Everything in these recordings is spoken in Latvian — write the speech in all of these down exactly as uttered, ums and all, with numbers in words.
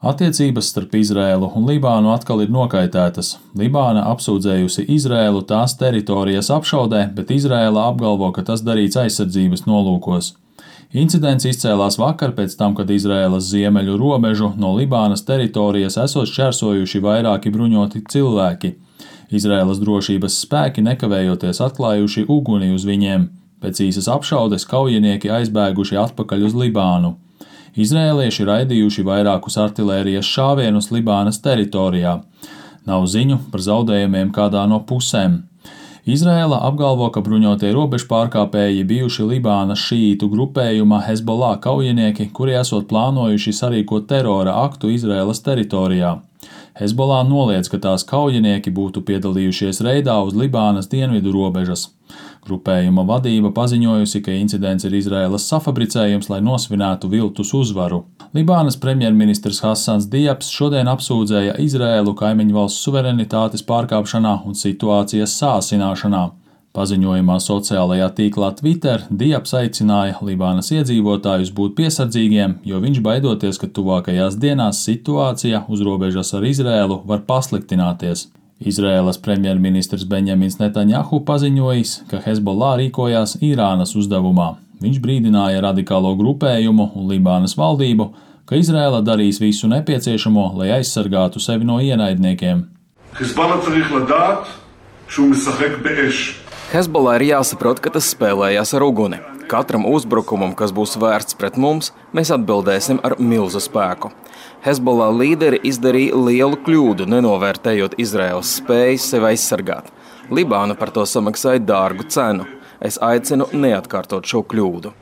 Attiecības starp Izraēlu un Libānu atkal ir nokaitētas. Libāna apsūdzējusi Izraēlu tās teritorijas apšaudē, bet Izraēla apgalvo, ka tas darīts aizsardzības nolūkos. Incidents izcēlās vakar pēc tam, kad Izraēlas ziemeļu robežu no Libānas teritorijas esot šķērsojuši vairāki bruņoti cilvēki. Izraēlas drošības spēki nekavējoties atklājuši uguni uz viņiem. Pēc īsas apšaudes kaujinieki aizbēguši atpakaļ uz Libānu. Izraēlieši raidījuši vairākus artilērijas šāvienus Libānas teritorijā. Nav ziņu par zaudējumiem kādā no pusēm. Izraēla apgalvo, ka bruņotie robežpārkāpēji bijuši Libānas šīītu grupējuma Hezbollah kaujinieki, kuri esot plānojuši sarīkot terora aktu Izraēlas teritorijā. Hezbollah noliedz, ka tās kaujinieki būtu piedalījušies reidā uz Libānas dienvidu robežas. Grupējuma vadība paziņojusi, ka incidents ir Izraēlas safabricējums, lai nosvinētu viltus uzvaru. Libānas premjerministrs Hasans Diabs šodien apsūdzēja Izraēlu kaimiņu valsts suverenitātes pārkāpšanā un situācijas sāsināšanā. Paziņojumā sociālajā tīklā Twitter Diabs aicināja Libānas iedzīvotājus būt piesardzīgiem, jo viņš baidoties, ka tuvākajās dienās situācija uz robežas ar Izraēlu var pasliktināties. Izraēlas premjerministrs Benjamins Netanjahu paziņojis, ka Hezbollah rīkojās Irānas uzdevumā. Viņš brīdināja radikālo grupējumu un Libānas valdību, ka Izraēla darīs visu nepieciešamo, lai aizsargātu sevi no ienaidniekiem. Hezbollah ir jāsaprot, ka tas spēlējās ar uguni. Katram uzbrukumam, kas būs vērsts pret mums, mēs atbildēsim ar milzu spēku. Hezbollah līderi izdarīja lielu kļūdu, nenovērtējot Izraēlas spējas sevi aizsargāt. Libāna par to samaksāja dārgu cenu. Es aicinu neatkārtot šo kļūdu.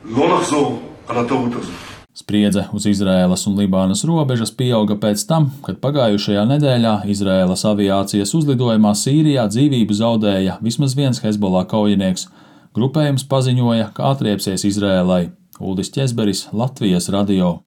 Spriedze uz Izraēlas un Libānas robežas pieauga pēc tam, kad pagājušajā nedēļā Izraēlas aviācijas uzlidojumā Sīrijā dzīvību zaudēja vismaz viens Hezbollah kaujinieks. Grupējums paziņoja, ka atriepsies Izraēlai. Uldis Ķezberis, Latvijas radio.